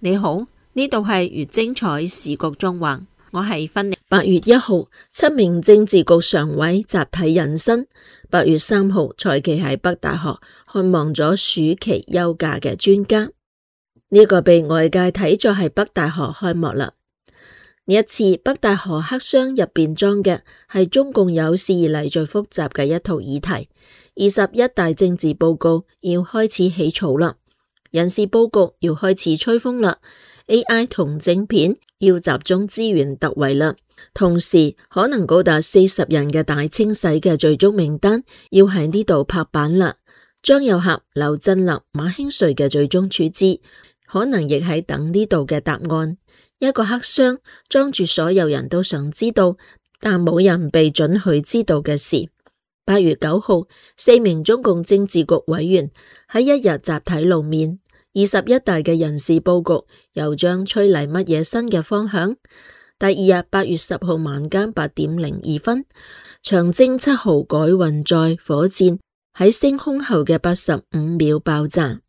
你好，呢度係越精彩時局縱橫，我係芬妮。8月1號，7名政治局常委集體隱身。8月3號，蔡奇喺北大學看望咗暑期休假嘅專家。呢個被外界睇作係北大學開幕啦。呢一次北大學黑箱入邊裝嘅係中共有史以嚟最複雜嘅一套議題。21大政治報告要開始起草啦，人事佈局要開始吹風啦， AI 同晶片要集中資源突圍啦，同時可能高達40人嘅大清洗嘅最終名單要喺呢度拍板啦。張又俠、劉振立、馬興瑞嘅最終處置可能亦喺等呢度嘅答案。一個黑箱裝住所有人都想知道但冇人被准許知道嘅事。8月9號，4名中共政治局委員喺一日集體露面。21大嘅人事佈局又將吹嚟乜嘢新嘅方向？第二日8月10號晚間8點02分，長征7號改運載火箭喺升空後嘅85秒爆炸，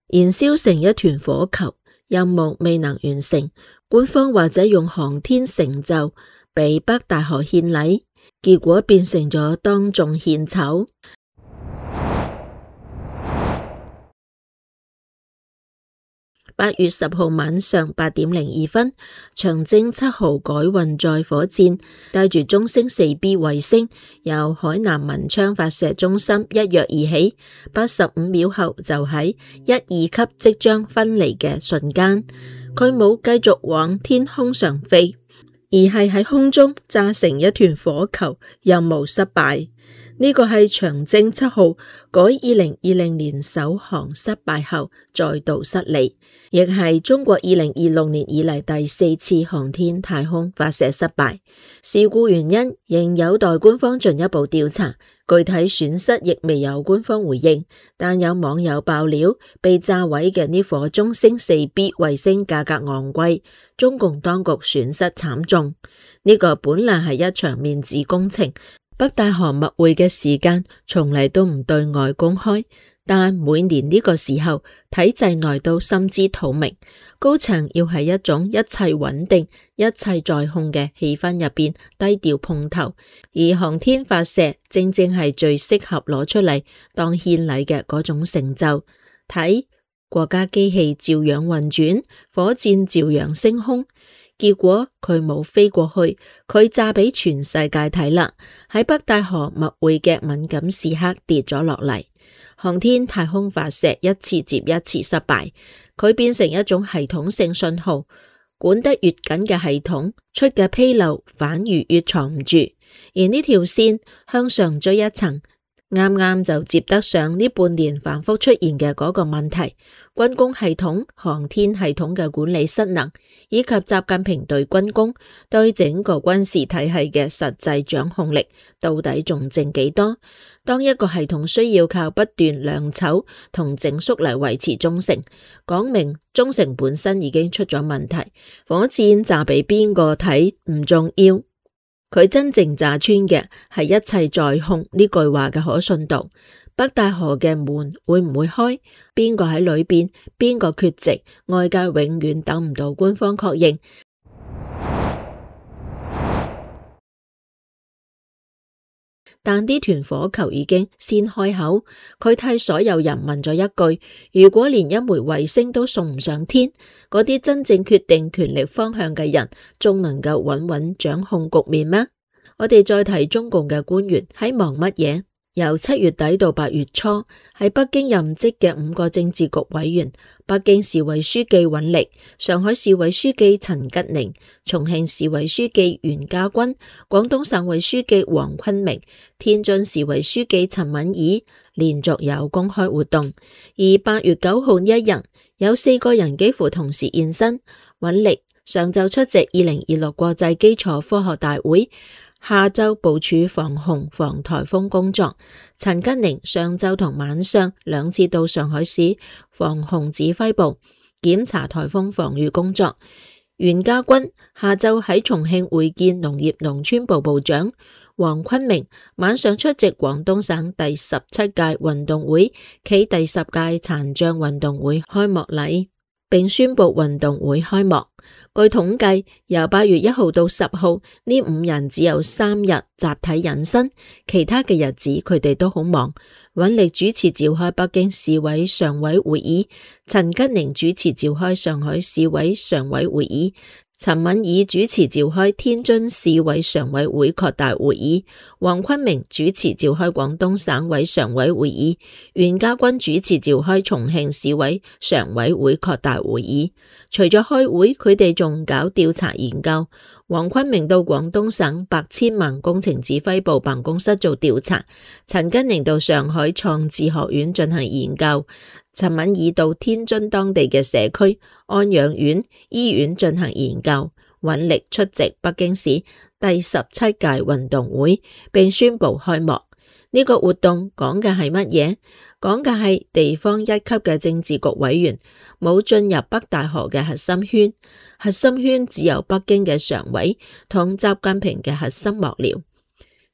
燃燒成一團火球，任務未能完成。官方或者用航天成就俾北大學獻禮，結果變成咗當眾獻醜。8月10號晚上8點02分，長征7號改運載火箭帶住中星 4B 衛星由海南文昌發射中心一躍而起，85秒後就喺1、2級即將分離嘅瞬間，佢冇繼續往天空上飛，而係喺空中炸成一團火球，任務失敗。呢個係長征7號改2020年首航失敗後再度失利，亦係中國2026年以嚟第4次航天太空發射失敗。事故原因仍有待官方進一步調查，具體損失亦未有官方回應，但有網友爆料，被炸毀嘅呢顆中星 4B 衛星價格昂貴，中共當局損失慘重。呢個本來係一場面子工程。北大學密會嘅時間從嚟都唔對外公開，但每年呢個時候體制內都心知肚明，高層要喺一種一切穩定、一切在控嘅氣氛入邊低調碰頭，而航天發射正正係最適合攞出嚟當獻禮嘅嗰種成就。睇國家機器照樣運轉，火箭照樣升空。結果佢冇飛過去，佢炸俾全世界睇啦。喺北大學密會嘅敏感時刻跌咗落嚟，航天太空發射一次接一次失敗，佢變成一種系統性信號，管得越緊嘅系統出嘅紕漏反而越藏唔住，而呢條線向上追一層，啱啱就接得上呢半年反覆出現嘅嗰個問題。軍工系統、航天系統嘅管理失能，以及習近平對軍工、對整個軍事體系嘅實際掌控力，到底仲剩幾多？當一個系統需要靠不斷量醜同整肅嚟維持忠誠，講明忠誠本身已經出咗問題。火箭炸俾邊個睇唔重要，佢真正炸穿嘅係一切在控呢句話嘅可信度。北大學嘅門會唔會開？邊個喺裏邊？邊個缺席？外界永遠等唔到官方確認。但呢團火球已經先開口，佢替所有人問咗一句：如果連一枚衛星都送唔上天，嗰啲真正決定權力方向嘅人，仲能夠穩穩掌控局面咩？我哋再睇中共嘅官員喺忙乜嘢？由7月底到8月初，喺北京任職嘅5個政治局委員，北京市委書記尹力、上海市委書記陳吉寧、重慶市委書記袁家軍、廣東省委書記黃坤明、天津市委書記陳敏爾連續有公開活動。而8月9號一日，有4個人幾乎同時現身。尹力上晝出席2026國際基礎科學大會，下晝部署防洪防颱風工作。陳吉寧上晝同晚上2次到上海市防洪指揮部檢查颱風防禦工作。袁家軍下晝喺重慶會見農業農村部部長。黃坤明晚上出席廣東省第17屆運動會暨第10屆殘障運動會開幕禮。並宣布運動會開幕。據統計，由8月1號到10號，呢5人只有3日集體隱身，其他嘅日子佢哋都好忙。尹力主持召開北京市委常委會議，陳吉寧主持召開上海市委常委會議，陳敏爾主持召開天津市委常委會擴大會議，黃坤明主持召開廣東省委常委會議，袁家軍主持召開重慶市委常委會擴大會議。除咗開會，佢哋仲搞調查研究。黃坤明到廣東省百千萬工程指揮部辦公室做調查，陳吉寧到上海創智學院進行研究，陳敏爾到天津當地嘅社區安養院、醫院進行研究。尹力出席北京市第17屆運動會，並宣布開幕。呢個活動講嘅係乜嘢？講嘅係地方一級嘅政治局委員冇進入北大河嘅核心圈，核心圈只有北京嘅常委同習近平嘅核心幕僚。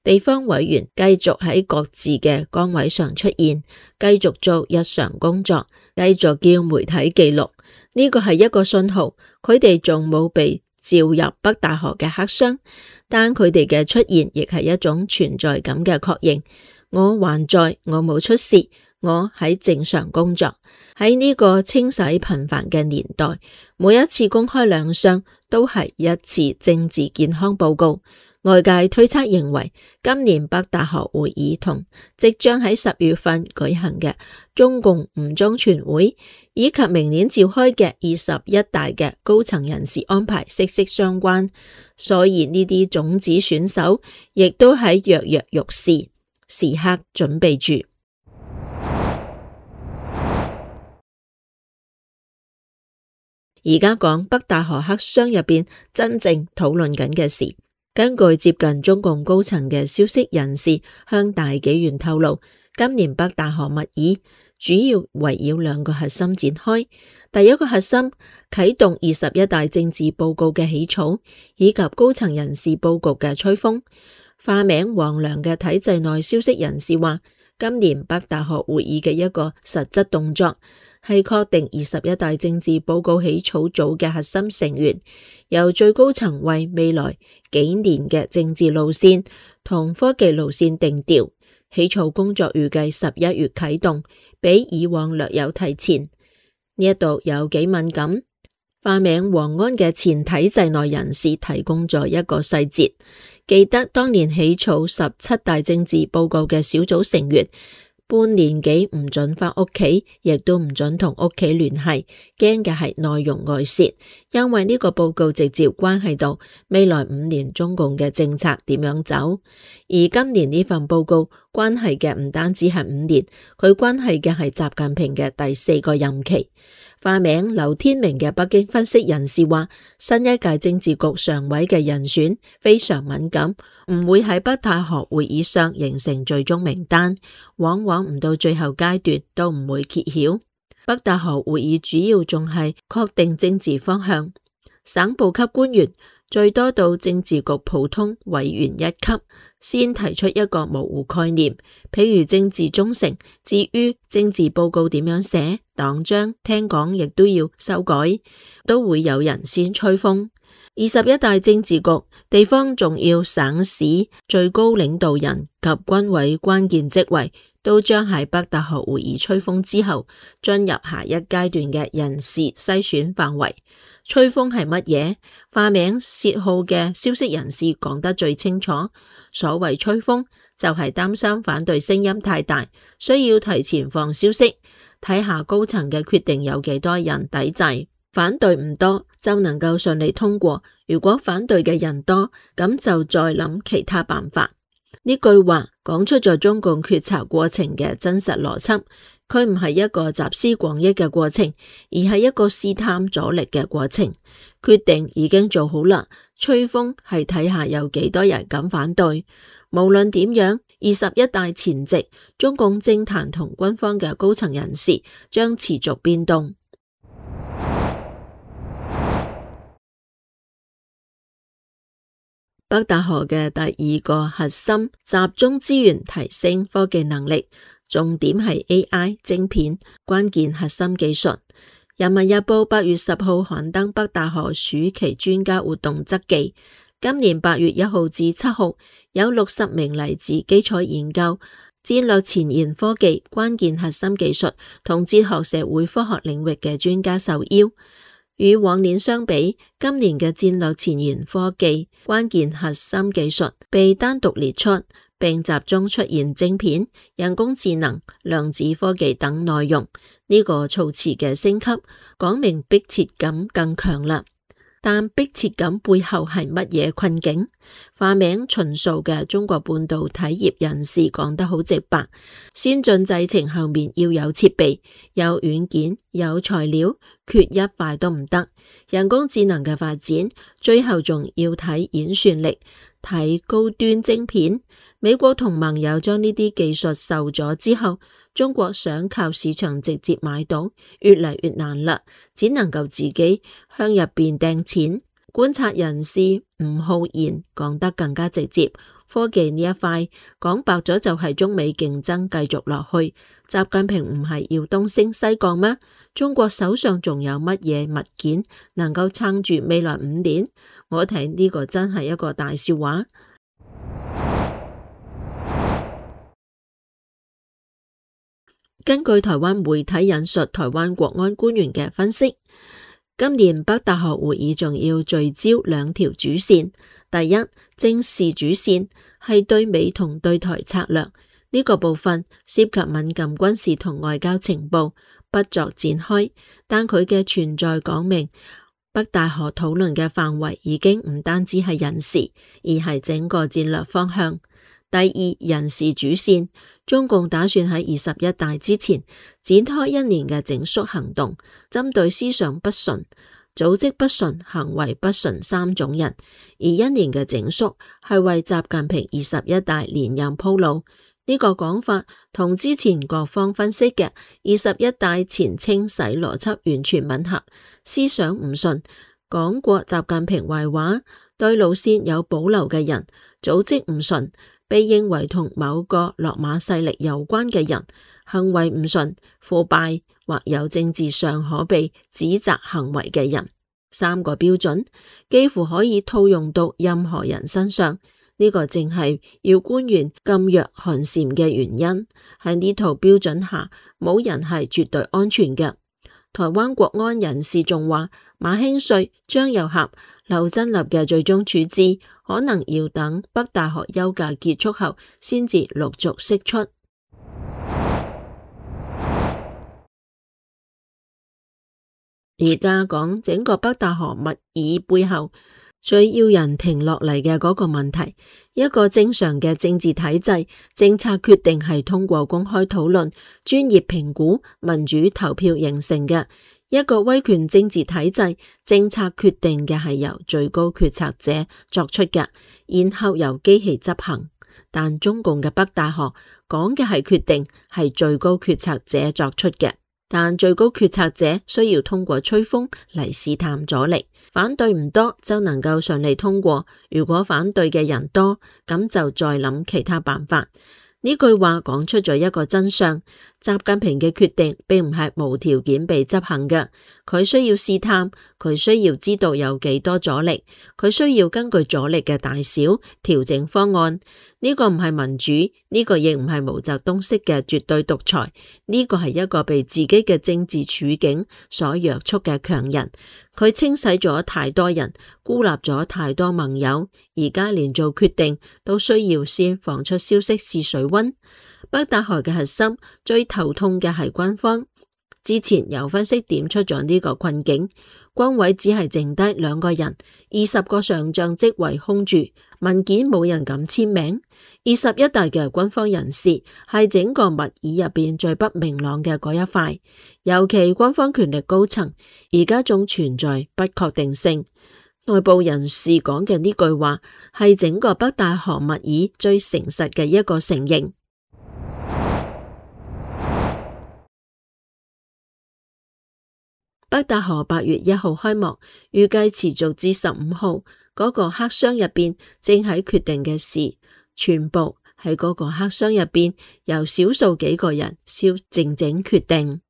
地方委員繼續喺各自嘅崗位上出現，繼續做日常工作，繼續叫媒體記錄。呢個係一個信號，佢哋仲冇被召入北大河嘅黑箱，但佢哋嘅出現亦係一種存在感嘅確認。我還在，我冇出事，我喺正常工作。喺呢個清洗頻繁嘅年代，每一次公開亮相都係一次政治健康報告。外界推測認為，今年北大河會議同即將喺10月份舉行嘅中共五中全會，以及明年召開嘅21大嘅高層人事安排息息相關，所以呢啲種子選手亦都喺躍躍欲試，時刻準備住。而家講北大河黑箱入邊真正討論緊嘅事。根據接近中共高層嘅消息人士向大紀元透露，今年北大河密議主要圍繞2個核心展開。第一個核心啟動21大政治報告嘅起草，以及高層人事佈局嘅吹風。化名王良嘅體制內消息人士話，今年北大河會議嘅一個實質動作係確定21大政治報告起草組嘅核心成員，由最高層為未來幾年嘅政治路線同科技路線定調。起草工作預計11月啟動，比以往略有提前。呢一度有幾敏感？化名王安嘅前體制內人士提供咗一個細節，記得當年起草17大政治報告嘅小組成員，半年幾唔准返屋企，亦都唔准同屋企聯繫，驚嘅係內容外洩，因為呢個報告直接關係到未來5年中共嘅政策點樣走。而今年呢份報告關係嘅唔單止係5年，佢關係嘅係習近平嘅第4個任期。化名劉天明嘅北京分析人士話，新一屆政治局常委嘅人選非常敏感，唔會喺北大河會議上形成最終名單，往往唔到最後階段都唔會揭曉。北大河會議主要仲係確定政治方向，省部級官員最多到政治局普通委員1級，先提出一個模糊概念，譬如政治忠誠。至於政治報告點樣寫，黨章聽講亦都要修改，都會有人先吹風。21大政治局地方重要省市最高領導人及軍委關鍵職位，都將喺北大河會議吹風之後，進入下一階段嘅人事篩選範圍。吹風係乜嘢？化名薛浩嘅消息人士講得最清楚。所謂吹風，就係擔心反對聲音太大，需要提前放消息，睇下高層嘅決定有幾多人抵制。反對唔多就能夠順利通過，如果反對嘅人多，咁就再諗其他辦法。呢句話講出咗中共決策過程嘅真實邏輯，佢唔係一個集思廣益嘅過程，而係一個試探阻力嘅過程。決定已經做好啦，吹風係睇下有幾多人敢反對。無論點樣，21大前夕，中共政壇同軍方嘅高層人士將持續變動。北大河嘅第2個核心，集中資源提升科技能力，重點係 AI 晶片關鍵核心技術。人民日報8月10號刊登北大學暑期專家活動側記，今年8月1號至7號，有60名嚟自基礎研究、戰略前沿科技、關鍵核心技術同哲學社會科學領域嘅專家受邀。與往年相比，今年嘅戰略前沿科技、關鍵核心技術被單獨列出，並集中出現晶片、人工智能、量子科技等內容。呢個措辭嘅升級，講明迫切感更強啦。但迫切感背後係乜嘢困境？化名秦素嘅中國半導體業人士講得好直白：先進製程後面要有設備、有軟件、有材料，缺一塊都唔得。人工智能嘅發展，最後仲要睇演算力，睇高端晶片。美國同盟友將呢啲技術授咗之後，中國想靠市場直接買到，越嚟越難啦，只能夠自己向入邊掟錢。觀察人士吳浩然講得更加直接，科技呢一塊講白咗就係中美競爭繼續落去。習近平唔係要東升西降咩？中國手上仲有乜嘢物件能夠撐住未來5年？我睇呢個真係一個大笑話。根據台灣媒體引述台灣國安官員嘅分析，今年北大學會議仲要聚焦2條主線。第一，正視主線係對美同對台策略，呢個部分涉及敏感軍事同外交情報，不作展開。但佢嘅存在講明，北大學討論嘅範圍已經唔單止係人事，而係整個戰略方向。第二，人事主線，中共打算喺21大之前展開1年嘅整肅行動，針對思想不純、組織不純、行為不純3種人，而1年嘅整肅係為習近平21大連任鋪路。呢個講法同之前各方分析嘅21大前清洗邏輯完全吻合，思想唔純，講過習近平壞話，對路線有保留嘅人，組織唔純，被認為同某個落馬勢力有關嘅人，行為唔純、腐敗或有政治上可被指責行為嘅人，3個標準幾乎可以套用到任何人身上。呢個正係要官員噤若寒蟬嘅原因。喺呢套標準下，冇人係絕對安全嘅。台灣國安人士仲話，馬興瑞、張又俠、劉振立嘅最終處置可能要等北大學休假結束後先至陸續釋出。而家講整個北大學密議背後最要人停落嚟嘅嗰個問題，一個正常嘅政治體制，政策決定係通過公開討論、專業評估、民主投票形成嘅。一個威權政治體制，政策決定嘅係由最高決策者作出嘅，然後由機器執行。但中共嘅北大學講嘅係決定係最高決策者作出嘅，但最高決策者需要通過吹風嚟試探阻力，反對唔多就能夠順利通過，如果反對嘅人多，咁就再諗其他辦法。呢句話講出咗一個真相，習近平嘅決定並唔係無條件被執行嘅，佢需要試探，佢需要知道有幾多阻力，佢需要根據阻力嘅大小調整方案。呢個唔係民主，呢個亦唔係毛澤東式嘅絕對獨裁，呢個係一個被自己嘅政治處境所約束嘅強人。佢清洗咗太多人，孤立咗太多盟友，而家連做決定都需要先放出消息試水溫。北大學嘅核心最頭痛嘅係軍方，之前有分析點出咗呢個困境，軍委只係剩低2個人，20個上將職位空住，文件冇人敢簽名。21大嘅軍方人士係整個密議入邊最不明朗嘅嗰一塊，尤其軍方權力高層而家仲存在不確定性。內部人士講嘅呢句話係整個北大學密議最誠實嘅一個承認。北大學8月1號開幕，預計持續至15號。嗰個黑箱入邊正喺決定嘅事，全部喺嗰個黑箱入邊由少數幾個人靜靜決定。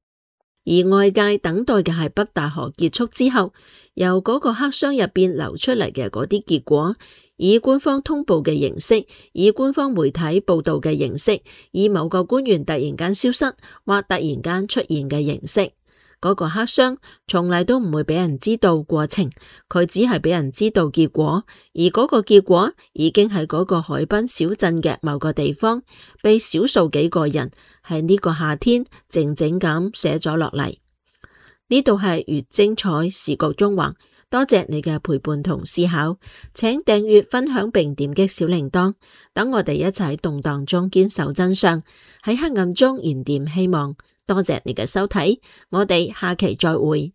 而外界等待嘅係北大河結束之後，由嗰個黑箱入邊流出嚟嘅嗰啲結果，以官方通報嘅形式，以官方媒體報道嘅形式，以某個官員突然間消失或突然間出現嘅形式。嗰個黑箱從嚟都唔會俾人知道過程，佢只係俾人知道結果，而嗰個結果已經喺嗰個海濱小鎮嘅某個地方，被少數幾個人喺呢個夏天靜靜咁寫咗落嚟。呢度係越精彩時局縱橫，多謝你嘅陪伴同思考，請訂閱、分享並點擊小鈴鐺，等我哋一齊喺動盪中堅守真相，喺黑暗中燃點希望。多謝你嘅收睇，我哋下期再會。